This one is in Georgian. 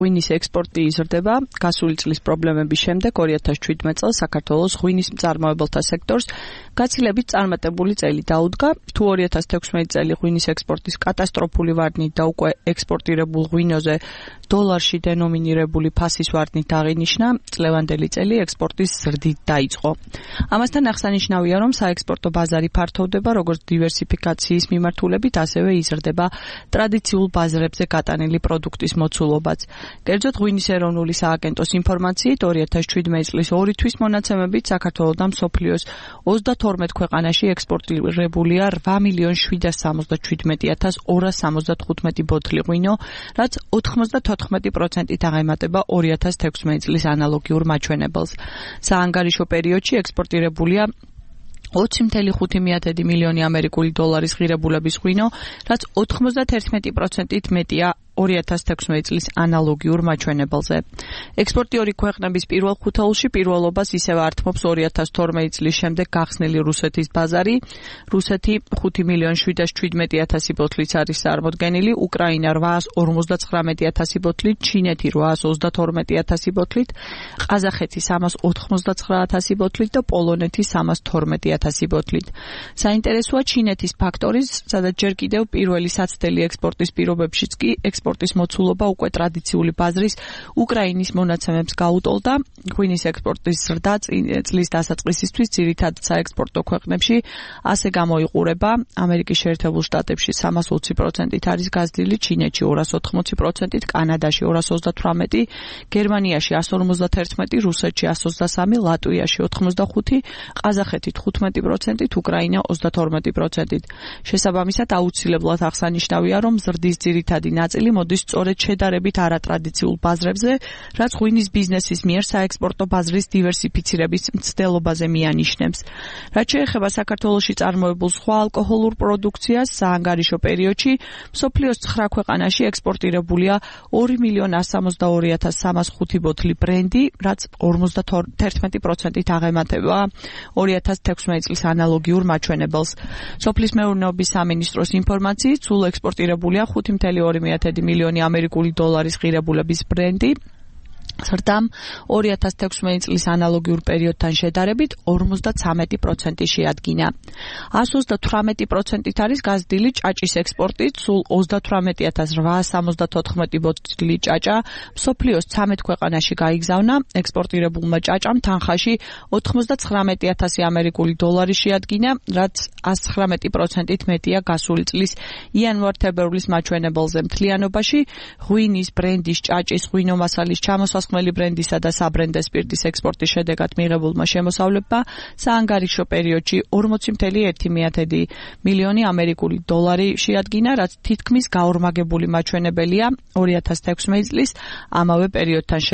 ღვინის ექსპორტი იზრდება. გასული წლის პრობლემების შემდეგ 2017 წელს საქართველოს ღვინის მწარმოებელთა სექტორს გაცილებით წარმატებული წელი დაუდგა. თუ 2016 წელი ღვინის ექსპორტის კატასტროფული ვარდნით და უკვე ექსპორტირებულ ღვინოზე დოლარში დენომინირებული ფასის ვარდნით აღინიშნა, წლევანდელი წელი ექსპორტის ზრდით დაიწყო. ამასთან აღსანიშნავია, რომ საექსპორტო ბაზარი ფართოვდება როგორც დივერსიფიკაციის მიმართულებით, ასევე იზრდება ტრადიციულ ბაზრებზე გატანილი პროდუქტის მოცულობაც. კერძოდ, ღვინის ეროვნული სააგენტოს ინფორმაციით 2017 წლის 2 თვის მონაცემებით საქართველოდან მსოფლიოს 32 ქვეყანაში ექსპორტირებულია 8.777.275 ბოთლი ღვინო, რაც 94%-ით აღემატება 2016 წლის ანალოგიურ მაჩვენებელს. საანგარიშო პერიოდში ექსპორტირებულია 20.5 მილიონი ამერიკული დოლარის ღირებულების ღვინო, რაც 91%-ით მეტია 2016 წლის ანალოგიურ მაჩვენებელზე. ექსპორტი ორი ქვეყნების პირველ ხუთეულში პირველობას ისევ ართმობს 2012 წლის შემდეგ გახსნილი რუსეთის ბაზარი. რუსეთი 5.717.000 ბოთლით არის წარმოდგენილი, უკრაინა 859.000 ბოთლით, ჩინეთი 832.000 ბოთლით, ყაზახეთი 399.000 ბოთლით და პოლონეთი 312.000 ბოთლით. საინტერესოა ჩინეთის ფაქტორი, სადაც ჯერ კიდევ პირველი საცდელი ექსპორტის პირობებშიც კი ექსპორტის მოცულობა უკვე ტრადიციული ბაზრის უკრაინის მონაცემებს გაუტოლდა. ღვინის ექსპორტის ზრდა წლის დასაწყისისთვის ძირითადად საექსპორტო ქვეყნებში ასე გამოიყურება. ამერიკის შეერთებულ შტატებში 320%-ით არის გაზრდილი, ჩინეთში 280%-ით, კანადაში 228%, გერმანიაში 151%, რუსეთში 123%, ლატვიაში 85%, ყაზახეთი 15%-ით, უკრაინა 32%-ით. შესაბამისად, აუცილებლად აღსანიშნავია, რომ ზრდის ძირითადი ნაწილი მოდის სწორედ შედარებით არატრადიციულ ბაზრებზე, რაც ღვინის ბიზნესის მიერ საექსპორტო ბაზრის დივერსიფიცირების მცდელობაზე მიანიშნებს. რაც შეეხება საქართველოში წარმოებულ სხვა ალკოჰოლურ პროდუქციას, საანგარიშო პერიოდში მსოფლიოს 9 ქვეყანაში ექსპორტირებულია 2.162.305 ბოთლი ბრენდი, რაც 51%-ით აღემატება 2016 წლის ანალოგიურ მაჩვენებელს. სოფლის მეურნეობის სამინისტროს ინფორმაციით, სულ ექსპორტირებულია 5.2 მილიონი ამერიკული დოლარის ღირებულების ბრენდი. ზრდამ 2016 წლის ანალოგიურ პერიოდთან შედარებით 53% შეადგინა. 128%-ით არის გაზრდილი ჭაჭის ექსპორტით, სულ 38.874 ბოთლი ჭაჭა მსოფლიოს 13 ქვეყანაში გაიგზავნა. ექსპორტირებულმა ჭაჭამ თანხაში 99.000 ამერიკული დოლარი შეადგინა, რაც 119%-ით მეტია გასული წლის იანვარ-თებერვლის მაჩვენებელზე. მთლიანობაში ღვინის, ბრენდის, ჭაჭის, ღვინომასალის ჩამოსასხმელი ბრენდისა და საბრენდო სპირტის ექსპორტის შედეგად მიღებულმა შემოსავლებმა საანგარიშო პერიოდში 40.1 მილიონი ამერიკული დოლარი შეადგინა, რაც თითქმის გაორმაგებული მაჩვენებელია 2016 წლის ამავე პერიოდთან